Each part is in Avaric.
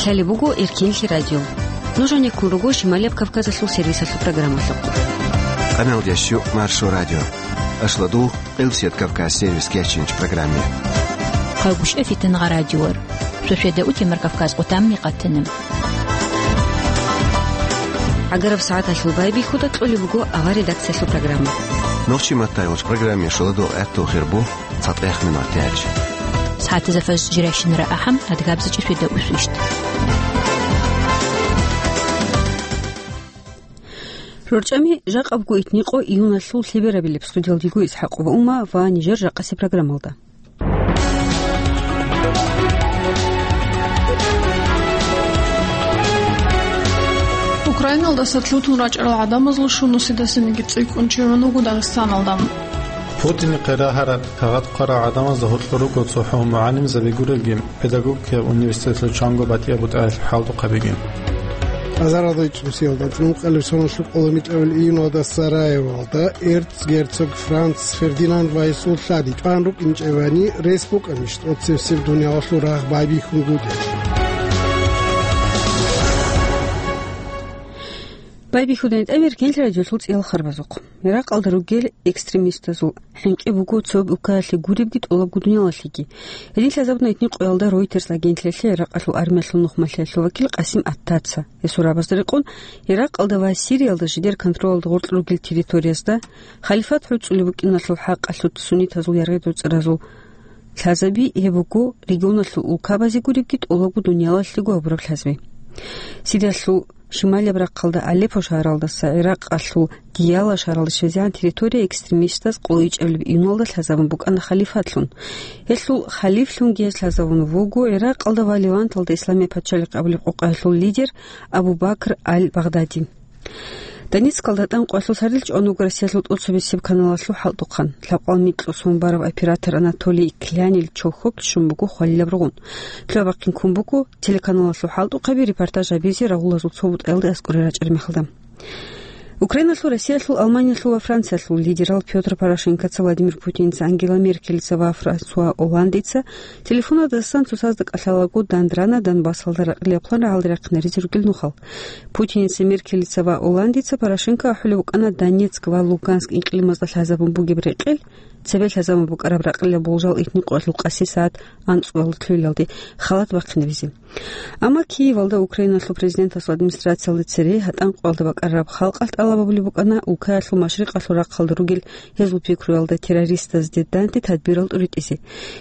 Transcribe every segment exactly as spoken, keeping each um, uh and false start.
Лъалеб буго Эркенлъи радио. Нуж гьанеккун руго Шималияб Кавказалъул сервисалъул программалъухъ. Къаналдящу Маршо радио. Ашладул Къилсият Кавказ сервис кечинч программе. Хъагушев Фитангъа радиор. Шошеда утемар Кавказ къутамни къатана. ГӀагараб сагӀаталъул байбихьуда кьолеб буго авар редакциялъул программа. Нохчи маттайгъуч программе шуладул гӀаттул хирбу. ЦатӀех минутач. СагӀатазда фаж жирайщинара ахӀам, адгабзачӀи шведа усвищт. РорчӀами жакъабго итникъо июналъул лъеберабилеб. Студиялдиго ИсхӀакъова Ума ва нижер жакъаси программалда. Украиналдаса лъутун рачӀарал гӀадамазул щунусидасаниги цӀикӀкӀун чеван вуго Дагъистаналда. Путинихъе рагьараб кагъат хъварал гӀадамазда гьоркьор руго цохӀо мугӀалимзаби гурелги, педагогикаяб университетлъул чанго батӀияб бутӀаялъул хӀалтӀухъабиги. Азаралда ичӀнусиялда, цӀунукъалеб соналъуб къоло микьабил июналда Сараевалда эрцгерцог Франц Фердинанд ва гьесул лъади чӀван рукӀинчӀебани, рес букӀанищ тӀоцебсеб дуниялалъул рагъ байбихьунгутӀиялъ? Байбихьудани тӀамир кенлъи радиолъул цӀиял харбазухъ. Иракъалда ругел экстремистазул хӀинкъи буго цо уккаялъе гуребги тӀолабго дуниялалъеги. Гьедин лъазабуна итни къоялда Reuters агентлъиялъе Иракъалъул армиялъул нухмалъиялъул вакил Къасим Аттаца. Гьесул рабазда рекъон, Иракъалда ва Сириялда жидер контролалда гъоркь ругел территориязда халифат гӀуцӀулеб букӀиналъул хӀакъалъулъ суннитазул яргъи-доцӀразул лъазаби, гьеб буго регионалъул улкабазе гуребги тӀолабго дуниялалъего гьабураб лъазаби. Сириялъул шималияб рахъалда Алеппо шагьаралдаса Иракъалъул Дияла шагьаралде щвезегӀан территория экстремистаз къуличӀабилеб июналда лъазабун букӀана халифатлъун. Гьелъул халифлъунги гьез лъазабун вуго Иракъалда ва Леванталда Исламияб пачалихъ абулеб къокъаялъул лидер Абу Бакр аль-Багъдади. Донецкалда тӀанкъоялъул сардил чӀван вуго Россиялъул тӀоцебесеб каналалъул хӀалтӀухъан. Лъабкъоялда микьго сон бараб оператор Анатолий Клянил чохьоблъ щун буго хвалилаб ругъун. Лъугьа-бахъин ккун буго телеканалалъул хӀалтӀухъаби репортаж гьабизе рагъулазул цо бутӀаялде аскӀоре рачӀараб мехалда. Украиналъул, Россиялъул, Алманиялъул ва Франциялъул лидерал Пётр Порошенкоца, Владимир Путинца, Ангела Меркелица ва Франсуа Олландица телефонадасан цоцазда кӀалъалаго дандрана Донбассалда ракъилаб план рагӀалде рахъинаризе ругел нухал. Путинца, Меркелица ва Олландица Порошенко ахӀулеб букӀана Донецк ва Луганск инкьлимазда лъазабун бугеб рекъел, цебе лъазабун букӀараб ракъилаб болжал итни къоялъул къаси сагӀат анцӀбалда лъугьиналде халат бахъинабизе. Амма Киевалда Украиналъул президентасул администрациялде цере гьатӀан къоялда бакӀарараб халкъалъ тӀалаб гьабулеб букӀана улкаялъул машрикъалъул рахъалда ругел гьезул пикруялда террористазде данде тадбирал тӀуритӀизе.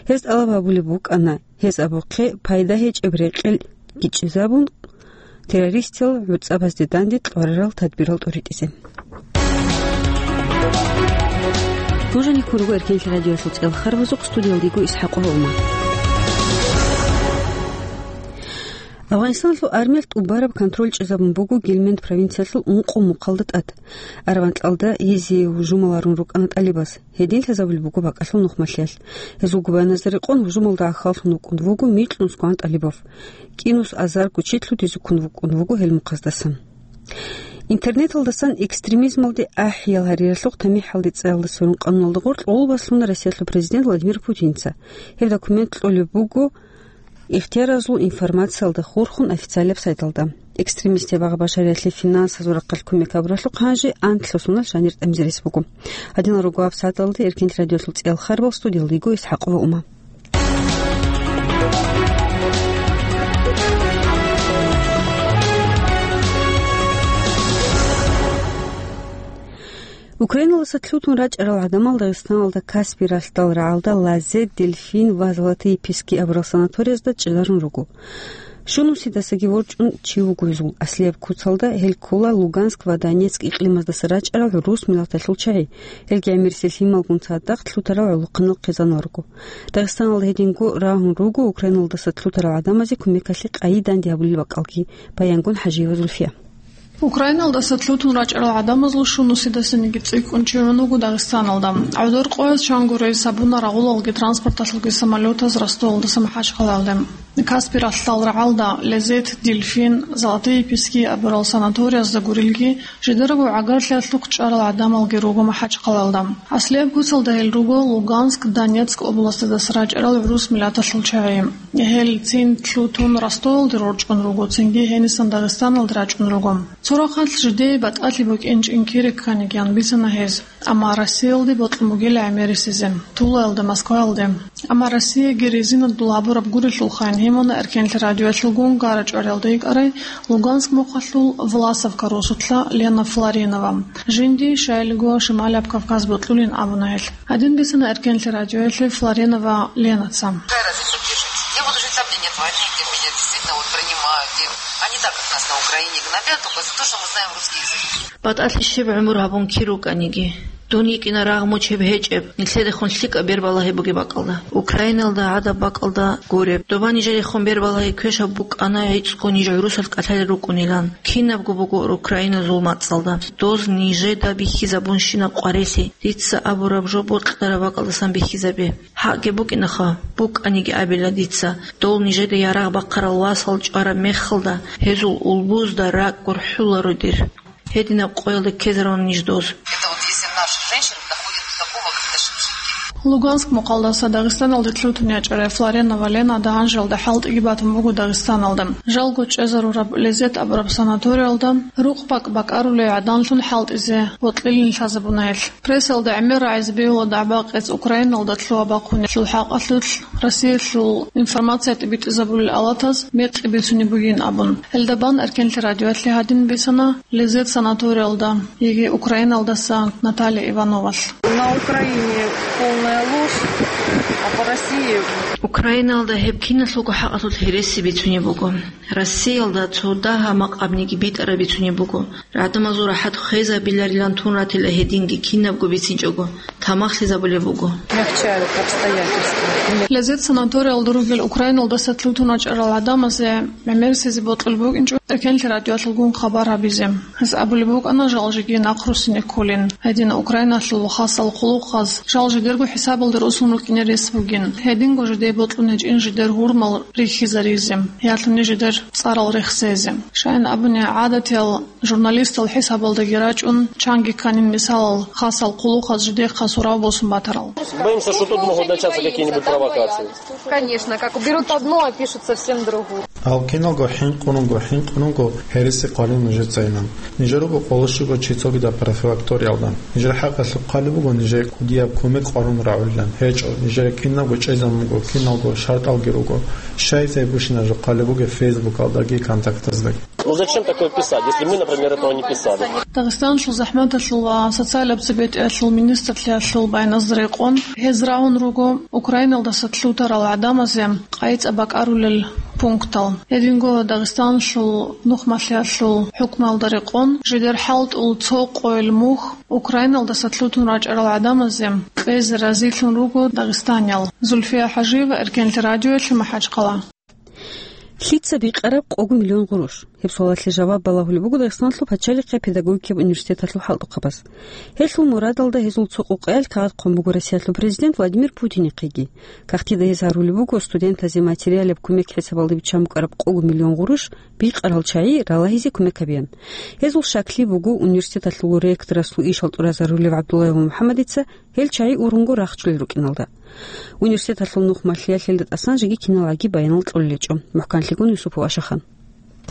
Гьез тӀалаб гьабулеб букӀана, гьез абухъе пайда гьечӀеб рекъел гичӀизабун, террористиял гӀуцӀабазде данде кьварарал тадбирал тӀуритӀизе. Нуж гьанеккун руго Эркенлъи радиоялъул цӀиял харбазухъ, студиялда йиго ИсхӀакъова Ума. Афганистаналъул армиялъ тӀубараб контроль чӀезабун буго Гельманд провинциялъул ункъо мухъалда тӀад. Араванкьалда гьезие гьужумал гьарун рукӀана тӀалибаз. Гьедин лъазабулеб буго бакӀалъул нухмалъиялъ. Гьезул губаяназда рекъон гьужумалда гӀахьаллъун вукӀун вуго микьнусгоан тӀалибав. КӀинус азарго чи лъутизе ккун вукӀун вуго гьел мухъаздасан. Интернеталдасан экстремизмалде ахӀиял гьариялъухъ тамихӀалде цӀаялда сверун къануналда гъоркь гъоло баслъуна Россиялъул президент Владимир Путинца. Гьеб документ кьолеб буго ихтияразул информациялда хурхун официалияб сайталда. Экстремистиял багъа-башариялъе финансазул рахъалъ кумек гьабуралъухъ гьанже анлъго соналъ жанир тӀамизе рес буго. Гьадинал руго гьаб сагӀаталда Эркенлъи радиоялъул цӀиял харбал, студиялда йиго ИсхӀакъова Ума. Украиналдаса лъутун рачӀарал гӀадамал Дагъистаналда Каспий ралъдал рагӀалда Лазет, Дельфин ва Золотые пески абурал санаториязда чӀезарун руго. Щунусидасаги ворчӀун чи вуго гьезул аслияб куцалда, гьел ккола Луганск ва Донецк икълимаздаса рачӀарал гӀурус миллаталъул чагӀи. Гьелги гӀемерисел лъималгун цадахъ лъутарал гӀолохъанал хъизанал руго. Дагъистаналда гьединго рагьун руго Украиналдаса лъутарал гӀадамазе кумекалъе къайи данде гьабулел бакӀалги. Баянгун ХӀажиева Зульфия. Украиналдаса лъутун рачӀарал гӀадамазул щунусидасаниги цӀикӀкӀун чеван вуго Дагъистаналда. ГӀодор къояз чанго рейс гьабуна рагъулалги транспорталъулги самолетаз Ростовалдаса МахӀачхъалаялде. Каспий ралъдал рагӀалда Лезет, Дельфин, Золотые пески абурал санаториязда гурелги, жидерго гӀагарлъиялъухъ чӀарал гӀадамалги руго МахӀачхъалаялда. Аслияб куцалда гьел руго Луганск, Донецк областалдаса рачӀарал гӀурус миллаталъул чагӀи. Гьел цин лъутун Ростовалде рорчӀун руго, цинги гьенисан Дагъистаналде рачӀун руго. Цо рахъалъ жидее батӀалъи букӀин чӀинкире кканигиян бицана гьез. Амма Россиялде бокьун бугила гӀемерисезе, Тулаялда, Москваялде. Амма Россияги резинадул гьабураб гурелъулхъайин гьимуна Эркенлъи радиоялъулгун гара-чӀвариялда йикӀарай Луганск мухъалъул Власовка росулъа Лена Флоренова. Жинди, щайилго, Шималаб Кавказ бокьулин абуна гьелъ. Гьадин бицана Эркенлъи радиоялъе Флоренова Ленаца. Какая разница, где жить? Я буду жить там, где нет войны, где меня действительно вот принимают, где они так как нас на Украине гнобят, только за то, что мы знаем русский язык. БатӀалъи щиб гӀумру гьабун кир рукӀаниги, дун йикӀина рагъ мучеб гьечӀеб, нилъедехун лъикӀаб бербалагьи бугеб бакӀалда. Украиналда гӀадаб бакӀалда гуреб. Доба нижерехун бербалагьи квешаб букӀана гӀицӀго ниж гӀурусалъ кӀалъалел рукӀунилан. Кинабго буго украиназул мацӀалда. Доз нижеда бихьизабунщина къварилъи. Дица абураб жо бокьараб бакӀалдасан бихьизабе. ХӀакъги букӀинаха, букӀаниги абила дица, дол нижеда ярагъ бахъарал васал чӀвараб мехалда, гьезул улбузда ракӀ гурхӀуларо дир. Гьединаб къоялда ккезаруна ниж доз. Это вот если наши женщины доходят до такого, как наши мужики. Луганск мухъалдаса Дагъистаналде лъутун ячӀарай Флоренова Лена дагьанжалда хӀалтӀиги батун буго Дагъистаналда. Жалго чӀезарураб Лезет абураб санаториялда рукъ бакӀ-бакӀарулей гӀаданлъун хӀалтӀизе бокьилин лъазабуна гьелъ. Прессалда гӀемер рагӀизе бегьула дагӀба-къец Украиналда лъугьа-бахъунелъул хӀакъалъулъ Россиялъул информация тӀибитӀизабулел алатаз мекъи бицунеб бугин абун. Гьелда бан Эркенлъи радиоялъе гьадин бицана Лезет санаториялда, яги Украиналдаса Наталья Ивановалъ. На Украине полная ложь, а по России... Украиналда гьеб киналъулго хӀакъалъулъ гьереси бицунеб буго. Россиялда цо дагьа-макъабниги битӀараб бицунеб буго. ГӀадамазул рахӀат хвезабиларилан тун ратила гьединги кинабго бицинчӀого, тамахлъизабулеб буго. Мягчают обстоятельства. Лезет санаториялда ругел Украиналдаса лъутун вачӀарал гӀадамазе гӀемерисезе бокьулеб букӀинчӀо Эркенлъи радиоялъулгун хабар гьабизе. Гьес абулеб букӀана жал жеги нахъруссине кколин. Гьедин Украиналъул хасал хъулухъаз жал жидерго хӀисабалда росун рукӀине рес бугин. Гьединго жидее бокьун гьечӀин жидер гьурмал рихьизаризе, ялъуни жидер цӀарал рехсезе. Щайин абуни, гӀадатиял журналистал хӀисабалдаги рачӀун, чанги кканин мисалал хасал хъулухъаз жидехъа сурав босун батарал. Боимся, что тут могут начаться какие-нибудь провокации. Конечно, как берут одно, а пишут совсем другое. Гьал киналго хӀинкъунго, хӀинкъунго гьереси хъвалин нужецайилан. Нижер руго къоло щуго чи цогидаб профилакториялда. Нижер хӀакъалъулъ хъвалеб буго нижее кӀудияб кумек къварун рагӀулилан. ГьечӀо, нижере киналго чӀезабун буго, киналго шартӀалги руго. Щайзаб бушинаб жо хъвалеб бугеб Фейсбукалдаги, Контактаздаги. Ну зачем такое писать, если мы, например, этого не писали? Дагъистаналъул захӀматалъул ва социалаб цебетӀиялъул министрлъиялъул байназда рекъон, гьез рагьун руго Украиналдаса лъутарал гӀадамазе къайцӀа бакӀарулел пунктал. Гьединго Дагъистаналъул нухмалъиялъул хӀукмалда рекъон, жидер хӀалтӀул цо къойил мухь Украиналдаса лъутун рачӀарал гӀадамазе кьезе разилъун руго дагъистаниял. Зульфия ХӀажиева, Эркенлъи радиоялъе, МахӀачхъала. Лъица бикъараб къого миллион гъурущ? Гьеб суалалъе жаваб балагьулеб буго Дагъистаналъул пачалихъе педагогикияб университеталъул хӀалтӀухъабаз. Гьелъул мурадалда гьезул цо къокъаялъ кагъат хъван буго Россиялъул президент Владимир Путинихъеги. Кагътида гьез гьарулеб буго студентазе материалаб кумек хӀисабалда биччан букӀараб къого миллион гъурущ бикъарал чагӀи ралагьизе кумек гьабеян. Гьезул щаклъи буго университеталъул ректорасул ишал тӀуразарулев ГӀабдуллаев МухӀаммадица гьел чагӀи ургъунго рахчулел рукӀиналда. Университеталъул нухмалъиялъ гьелда тӀасан жеги киналгӀаги баянал кьолел гьечӀо. МухӀканлъигун Юсупов Ашахан.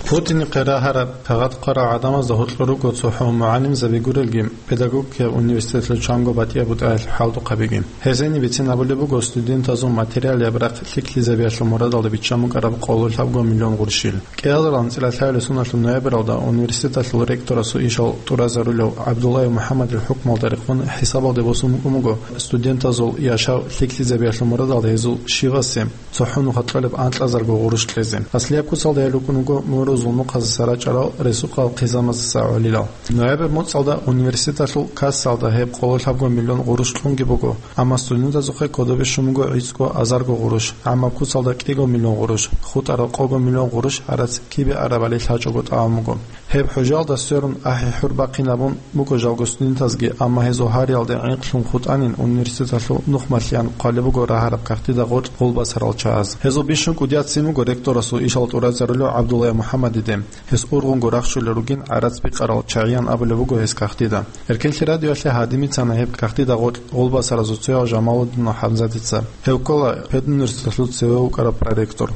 Путинихъе рагьараб, кагъат хъварал гӀадамазда гьоркьор руго цохӀо мугӀалимзаби гурелги, педагогикияб университеталъул чанго батӀияб бутӀаялъул хӀалтӀухъабиги. Гьезени бицин абулеб буго студентазул материалияб рахъ лъикӀлъизабиялъул мурадалда биччан букӀараб къоло лъабго миллион гъурущил. КӀиазарал анцӀила лъабилеб соналъул ноябралда университеталъул ректорасул ишал тӀуразарулев ГӀабдуллаев МухӀаммадил хӀукмалда рекъон хӀисабалде босун букӀун буго студентазул яшав лъикӀлъизабиялъул мурадалда гьезул щивасе цохӀо нуха кьолеб анкьазарго гъурущ кьезе. Аслияб куцалда гьел рукӀун руго рузул нухъазаса рачӀарал ресурсал хъизамаздаса гӀолилал. Ноябрь моцӀалда университеталъул кассалда гьеб къоло лъабго миллион гъурущ кьунги буго, амма студентазухъе кодобе щун буго гӀицӀго азарго гъурущ, гӀаммаб куцалда кӀиго миллион гъурущ, хутӀарал къого миллион гъурущ гӀарац кибе арабали лъачӀого тӀамун буго. Гьеб хӀужалда сверун ахӀи-хӀур бахъинабун буго жалго студентазги, амма гьезул гьариялде гӀинкълъун хутӀанин университеталъул нухмалъиян хъвалеб буго рагьараб кагътида гъоркь гъулбасарал чагӀаз. Гьезул бищун кӀудияцин буго ректорасул ишал тӀуразарулев ГӀабдуллая МухӀаммадиде. Гьес ургъунго рахщулел ругин гӀарац бикъарал чагӀиян абулеб буго гьес кагътида. Эркенлъи радиоялъе гьадин бицана гьеб кагътида гъоркь гъулбасаразул цояв Жамалудинов ХӀамзатица. Гьев ккола педуниверситеталъул цеве вукӀарав проректор.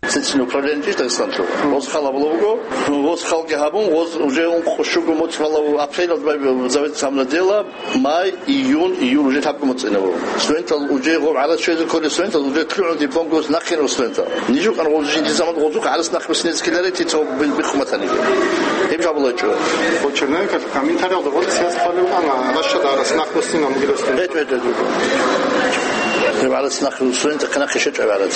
Цицин управление Дагестанлъул. Гъоз хал гьабулеб буго. Гъоз халги гьабун, гъоз уже ункъо щуго моцӀ балав апрелалда завет самнадела, май, июнь, июль уже лъабго моцӀ инабу. Студентал уже гъоб гӀарац щвезе кколел студентал уже лъугӀун диплом гос нахъе ру студентал. Нижукъан гъоз жинди заман гъозухъ гӀарац нахъ бисинецкиларе тицо бихъуматаниги. Гьеб жабулачӀо. По Черновикалъ комментариялда гъоз связь хъвалев ана, ращада гӀарац нахъ бисина мугила студент. ГьечӀ, гьечӀ, гьечӀ. Гьеб гӀарац нахъ студентал хъинахъе щвечӀеб гӀарац.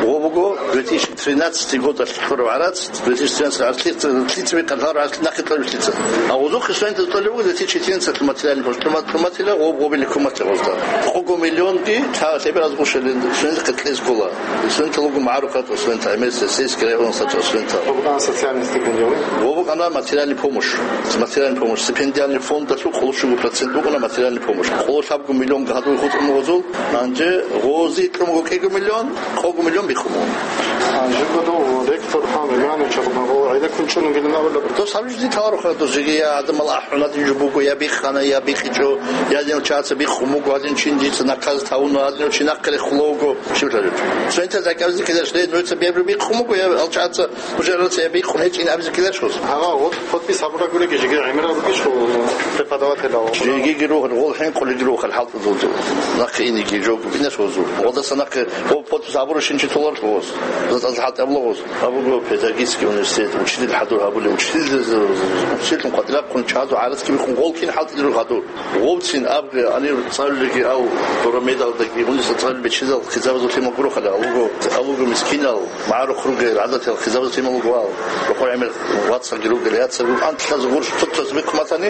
Гъо буго две тысячи тринадцатый годалъ кьураб гӀарац, две тысячи тринадцатый гӀарац лъица, лъица бикъан гьар гӀарац нахъе кьураб лъица. А гъозухъе студентал кьолеб буго две тысячи четырнадцатый материальный помощь, тӀума-, тӀуматила гъоб гъобили куматила гъозда. Къого миллионги та лъебе разгъушалин студентал кьезе ккола. Студентал руго магӀарухъ ратӀа студентал, гӀемерисел сельский районасда чӀа студентал. Гъоб букӀана социальный стипендия, ва? Гъо букӀана материальный помощь. Материальный помощь. Стипендиальный фондалъул къоло щуго процент букӀана материальный помощь. Къоло лъабго миллион гьадуй хутӀун гъозул, гьанже гъози кьун буго кӀиго миллион, къого миллион бихъун буго. А, жибго дов ректор Гьан Риманович Арбагъов гӀеле кунчӀун вугилан абулеб. Дос гьаб жузи таларухъа, дос жиги я гӀадамал ахӀунадин жо буго, я бихъана, я бихъичӀо, я гьадинал чагӀаца бихъун буго, гьадин чин дица наказ тавуна, гьадинав чи нахъе рехула вуго. Щиб лъалеб? Цоинтал дакӀабизе ккелаш, ле, нуца бебру бихъун буго, я алчагӀаца уже гьараца я бихъун гьечӀин абизе ккелаш гъоз. Гьава, вот подпись гьабурагуреги жиги гӀемерал ругищ преподавателал? Жигиги рухӀ, гъол хӀинкъулиги рухӀ, хӀалтӀудулзул. Нахъе иниги жо букӀинаш гъозул. Гъодаса нахъе гъо подпись гьабураб щинчи толарулъ гъоз. ЗатӀазда хӀалтӀи абула гъоз. Абуго педагогический университет, учитель хӀадур гьабулев, учитель, учительлъун къватӀирахъун чагӀазул гӀарац кибихъун гъол кин хӀалтӀидиру хӀадур. Гъовцин абги гьанир цӀалулеги ав, дорамедалдаги, гьуниса цӀалул бечедал хъизабазул лъимал гурохъали, алуго, алуго мискинал, магӀарухъ ругел гӀадатал хъизабазул лъимал гуал, рокъор гӀемер вацалги ругел, яцалги ругел, антлъазул гъурщ цоцаз бихъуматани,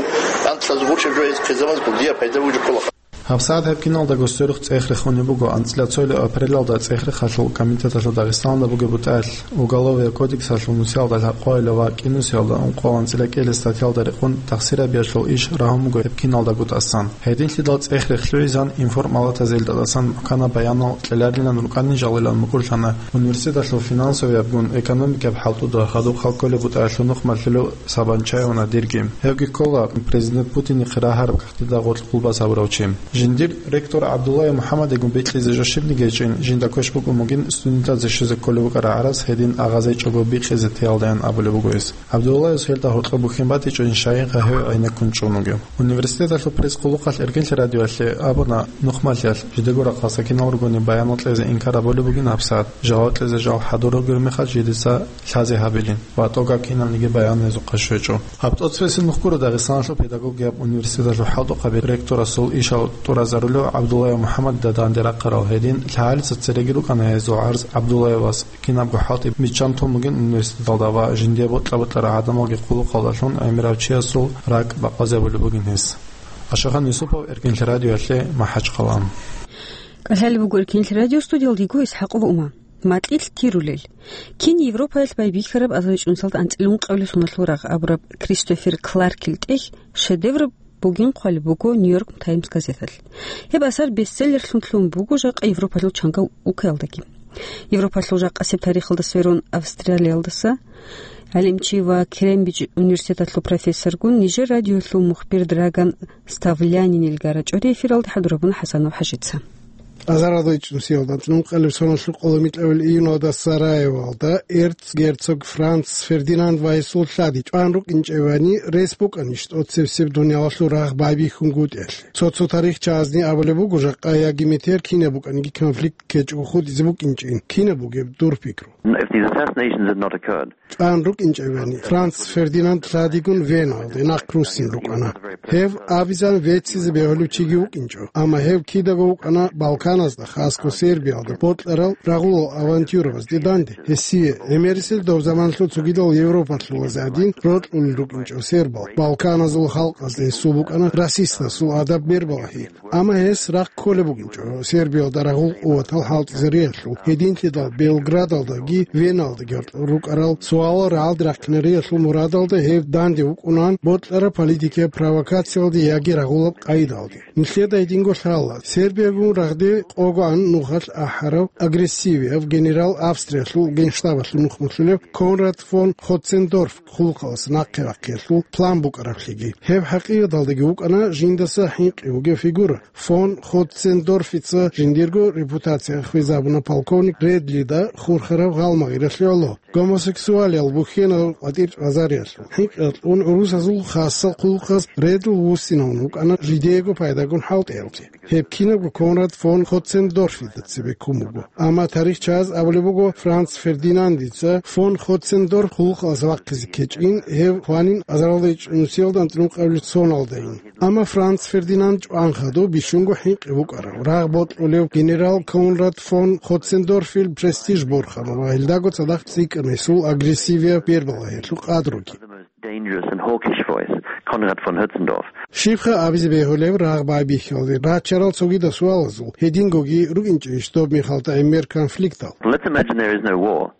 антлъазул гъурщ жо гьез хъизабаз гьудия пайда вугев ккола. ГьабсагӀат гьеб киналдаго сверухъ цӀех рехунеб буго, анцӀила цоялъ апрелалда ЦӀехрехалъул комитеталъул Дагъистаналда бугеб бутӀаялъ, Уголовия кодексалъул нусиялда лъабкъоялда ва кӀинусиялда ункъоялда анцӀила кӀелес статьялда рекъон тахсирабиялъул иш рагьун буго гьеб киналдаго тӀасан. Гьединлъидал цӀех рехлъугӀизан информалатазелда тӀасан мухӀканаб баянал кьеларилан рукӀанин жалилан мукӀурлъана университеталъул финансовиябгун экономикияб хӀалтӀуда хадуб халкколеб бутӀаялъул нухмалъулев Сабанчаевна дирги. Гьевги ккола президент Путинихъе рагьараб кагътида гъоркь къулбас гьабурав чи. Жиндир ректор ГӀабдуллаев МухӀаммадигун бекьизе жо щибниги гьечӀин, жинда квеш букӀун бугин студентазе щвезе кколеб букӀараб гӀарац гьедин агъазечӀого бихъизе теялдаян абулеб буго гьес. ГӀабдуллаевас гьелда гьоркьоб бухьин батичӀони, щайинха гьев гӀенеккун чӀун вугев. Университеталъул пресс-къулухъалъ Эркенлъи радиоялъе абуна, нухмалъиялъ жидего рахъалъа кинал ругони баянал кьезе инкар гьабулеб бугин гьабсагӀат, жаваб кьезе жал хӀадураб гури мехалъ жидеца лъазе гьабилин ва тӀогаб кинабниги баян гьезухъа щвечӀо. Гьаб тӀоцебесеб нух гуро Дагъистаналъул педагогияб университеталъул хӀалтӀухъаби ректорасул ишал тӀуразарулев ГӀабдуллаев МухӀаммадида данде рахъарал. Гьедин лъагӀалица цереги рукӀана гьезул гӀарз ГӀабдуллаевас, кинабго хӀалтӀи биччан тун бугин университеталда ва жиндие бокьа-бокьарал гӀадамалги къулухъалдалъун гӀемерав чиясул ракӀ бакъвазабулеб бугин гьес. Ашахан Юсупов, Эркенлъи радиоялъе, МахӀачхъала. КӀалъалеб буго Эркенлъи радио, студиялда йиго ИсхӀакъова Ума. Макьилъ тирулел. Кин Европаялъ байбихьараб азаричӀунсалда анцӀила ункъабилеб соналъул рагъ абураб Кристофер Кларкил тӀехь шедевр бугин хъвалеб буго Нью-Йорк Таймс газеталъ. Гьеб асар бестселлерлъун лъугьун буго жакъа Европалъул чанга уккаялдаги. Европалъул жакъасеб тарихалда сверун Австралиялдаса гӀалимчи ва Кембридж университеталъул профессоргун нижер радиоялъул мухбир Драган Ставлянинилгара чӀори эфиралда хӀадурабуна ХӀасанов ХӀажица. Азарал речӀунсиялда анцӀила ункъабилеб соналъул къоло микьабил июналда Сараевалда эрцгерцог Франц Фердинанд ва гьесул лъади чӀван рукӀинчӀебани рес букӀанищ тӀоцебесеб дуниялалъул рагъ байбихьунгутӀиялъе? Цо-цо тарихчагӀазни абулеб буго, жакъа яги метер кинаб букӀаниги конфликт ккечӀого хутӀизе букӀинчӀин. Кинаб бугеб дур пикру? If these assassinations had not occurred, ЧӀван рукӀинчӀевани, Франц Фердинанд лъадигун Веналде нахъ руссин рукӀана. Гьев абизан веццизе бегьулев чиги вукӀинчӀо, амма гьев кидаго вукӀана Балканазда, хасго Сербиялда бокьарал рагъулал авантюрабазде данде. Гьесие гӀемерисел доб заманалъул цогидал Европалъулазе гӀадин рокьулел рукӀинчӀо сербал. Балканазул халкъазда гьесул букӀана расистасул адаб бер балагьи. Амма гьес рахъ кколеб букӀинчӀо Сербиялда рагъул къуватал хӀалтӀизариялъул, гьединлъидал Белградалдаги Веналдаги рукӀарал суалал рагӀалде рахъинариялъул мурадалда гьев данде вукӀунан бокьараб политикияб провокациялде яги рагъулаб къайдалде. Нилъеда гьединго лъала, Сербиягун рагъде къогоан нухалъ ахӀарав агрессивияв генерал, Австриялъул генштабалъул нухмулъулев Конрад фон Хоццендорф хъулухъалас нахъе вахъиялъул план букӀараблъиги. Гьеб хӀакъикъаталдаги вукӀана жиндаса хӀинкъи вугев фигура. Фон Хоццендорфица жиндирго репутация хвезабуна полковник Редлида хурхараб гъалмагъиралъе гӀоло, гомосексуалиял бухьенал къватӀир чӀвазариялъул. ХӀинкъиялъ ун гӀурусазул хасал хъулухъаз Редл вуссинавун вукӀана жидеего пайдагун хӀалтӀиялде. Гьеб кинабго Конрад фон Хоццендорфида цебе ккун буго. Амма тарихчияз абулеб буго, Франц Фердинандица фон Хоццендорф хъулухъалас вахъизе ккечӀин, гьев хванин азаралда ичӀнусиялда анцӀнукъабилеб соналдайин. Амма Франц Фердинанд чӀван хадуб бищунго хӀинкъи букӀарав, рагъ бокьулев генерал Конрад фон Хоццендорфил престиж борхана ва гьелдаго цадахъ цӀикӀкӀана гьесул агрессивияб бербалагьиялъул къадруги. Dangerous and hawkish voice, Konrad von Hötzendorf. Щибха абизе бегьулеб, рагъ байбихьиялде рачарал цогидал суалазул гьедингоги рукӀинчӀищ доб мехалда гӀемер конфликтал? Let's imagine there is no war.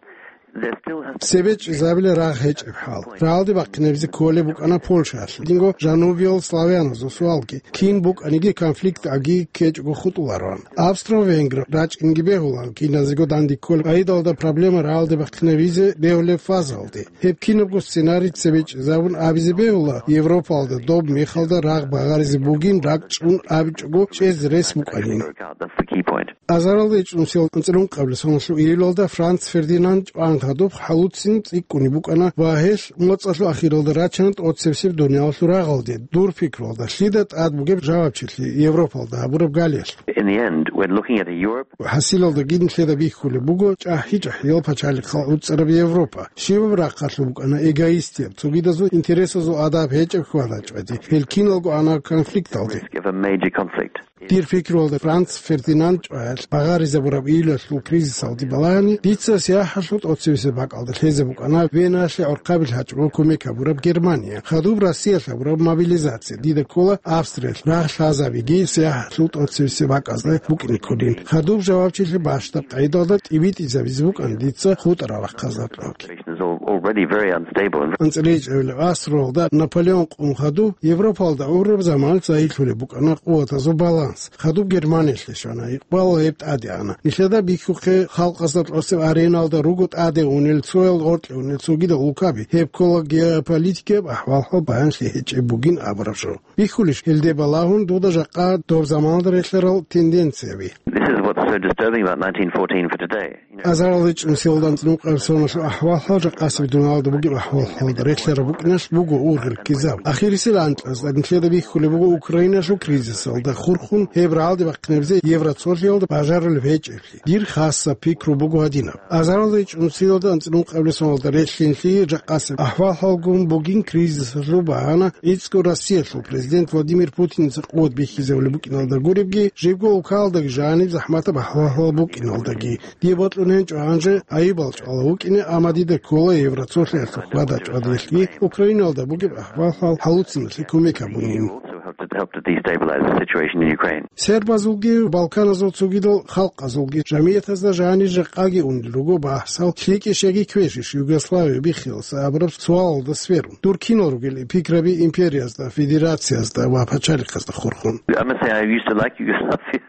There still has to... Цебе чӀезабила рагъ гьечӀеб хӀал. Рагъалде бахъинабизе кколеб букӀана Польшаялъ гьединго жанубиял славяназул суалги. Кин букӀаниги конфликт аги ккечӀого хутӀулароан. Австро-венгр рачӀинги бегьулаан, киназего данде кколеб къайдалда проблема рагъалде бахъинабизе бегьулеб фазалде. Гьеб кинабго сценарий цебе чӀезабун абизе бегьула, Европалда доб мехалда рагъ багъаризе бугин ракӀчӀун абичӀого чӀезе рес букӀанин. That's the key point. Азаралда ичӀнусиял анцӀрун къаблъ соналъул июлалда Франц Фердинанд чӀван хадуб хӀалуцин цӀикӀкӀунеб букӀана ва гьелъ моцӀалъул ахиралда рачана тӀоцебесеб дуниялалъул рагъалде, дур пикруялда, лъида тӀад бугеб жавабчилъи Европалда гьабураб галиялъ. In the end, we're looking at a Europe... ХӀасилалдаги нилъеда бихьулеб буго чӀахӀи-чӀахӀиял пачалихъал гӀуцӀараб Европа. Щибаб рахъалъуб букӀана эгоистияб, цогидазул интересазул адаб гьечӀеб хьвада-чӀвади, гьел киналго ана конфликталде. Risk of a major conflict. Дир пикруялда Франц Фердинанд чӀваялъ багъаризабураб июлалъул кризисалде балагьани, дица сияхӀалъул тӀоцебесеб бакӀалда лъезе букӀана Веналъе гӀурхъаби лъачӀого кумек гьабураб Германия. Хадуб Россиялъ гьабураб мобилизация. Дида ккола Австриялъ рагъ лъазабиги сияхӀалъул тӀоцебесеб бакӀазда букӀине кколин. Хадуб жавабчилъи бащдаб къайдалда тӀибитӀизабизе букӀана дица хутӀарал рахъазда кьавги. Is al-, already very unstable and... АнцӀила ичӀабилеб асралда Наполеон къун хадуб Европалда гӀураб заманалъ загьирлъулеб букӀана къуватазул баланс. Хадуб Германиялъе щвана, икъбал гьеб тӀаде ана. Нилъеда бихьухъе, халкъазда тӀоцеб ареналда руго тӀаде унел, цоял гъоркье унел цогидал улкаби. Гьеб ккола геополитикияб ахӀвал-хӀал баянлъи гьечӀеб бугин абураб жо. Бихьулищ гьелде балагьун дуда жакъа доб заманалда релълъарал тенденцияби? This is what's so disturbing about nineteen fourteen for today. Азарал речӀунсиялда анцӀнукъаб соналъул ахӀвал-хӀал жакъасеб дуниялалда бугеб ахӀвал-хӀалалда релълъараб букӀиналъ буго ургъел ккезаб. Ахирисел анкьазда нилъеда бихьулеб буго Украиналъул кризисалда хурхун гьеб рагӀалде бахъинабизе Евроцолъиялда бажарулеб гьечӀеблъи. Дир хасаб пикру буго гьадинаб. Азарал речӀунсиялда анцӀнукъаб соналда релълъинлъи жакъасеб ахӀвал-хӀалгун бугин кризисалъул багьана гӀицӀго Россиялъул президент Владимир Путиница къуват бихьизабулеб букӀиналда гуребги, жибго улкаялдаги жаниб захӀматаб ахӀвал-хӀал букӀиналдаги. Дие бокьун гьечӀо гьанже айибал чӀвала вукӀине, амма дида ккола Евроцолъиялъул хьвада-чӀвадилъги Украиналда бугеб ахӀвал-хӀал хӀалуциналъе кумек гьабунин. Also help to, help to destabilize the situation in Ukraine. Сербазулги, Балканазул цогидал халкъазулги жамиятазда жанир жакъаги унел руго багьсал, лъикӀищ яги квешищ Югославия биххилалса абураб суалалда сверун. Дур кинал ругел пикраби империязда, федерациязда ва пачалихъазда хурхун? I must say, I used to like Yugoslavia.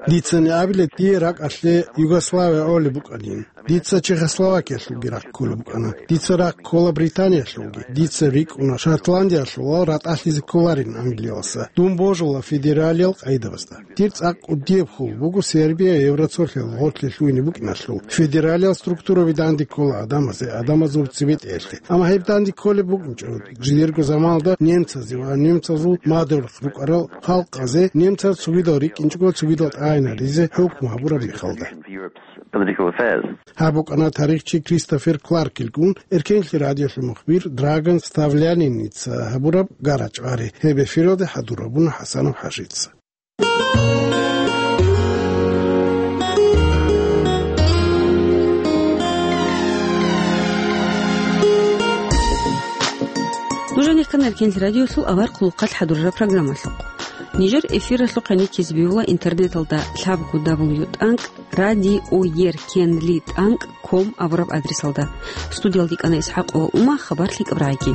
Дицани абилеб, дие ракӀалъе Югославия гӀолеб букӀанин. Дица Чехословакиялъулги рахъ кколеб букӀана. Дица рахъ ккола Британиялъулги. Дица рикӀкӀуна Шотландиялъул ва ратӀалъизе кколарин Англиялдаса. Дун божула федералиял къайдабазда. Дир цӀакъ кӀудияб хьул буго Сербия Евроцолъиялда гъорлъе лъугьине букӀиналъул. Федералиял структураби данде ккола гӀадамазе, гӀадамазул цебетӀеялъе. Амма гьеб данде кколеб букӀинчӀо, жидерго заманалда немцазе ва немцазул мадугьалихъ рукӀарал халкъазе немцаз цогидал рикӀкӀинчӀого цогидал тӀагӀинаризе хӀукму гьабураб мехалда. Political affairs. Гьаб букӀана тарихчи Кристофер Кларкилгун, Эркенлъи радиолъул мухбир Драган Ставляниница гьабураб гарачӀвари. Гьеб эфиралде хӀадурабуна ХӀасанов ХӀажица. Нуж гьанир ккана Эркенлъи радиолъул авар хъулухъалъ хӀадурараб программалъухъ. Нижер эфиралъухъ гьанизе бегьула интернеталда лъабго дабл ю тӀанкӀ радиоер кенли тӀанкӀ ком абураб адресалда. Студиялде кӀана ИсхӀакъова Ума, хабар лъикӀаб рагӀаги.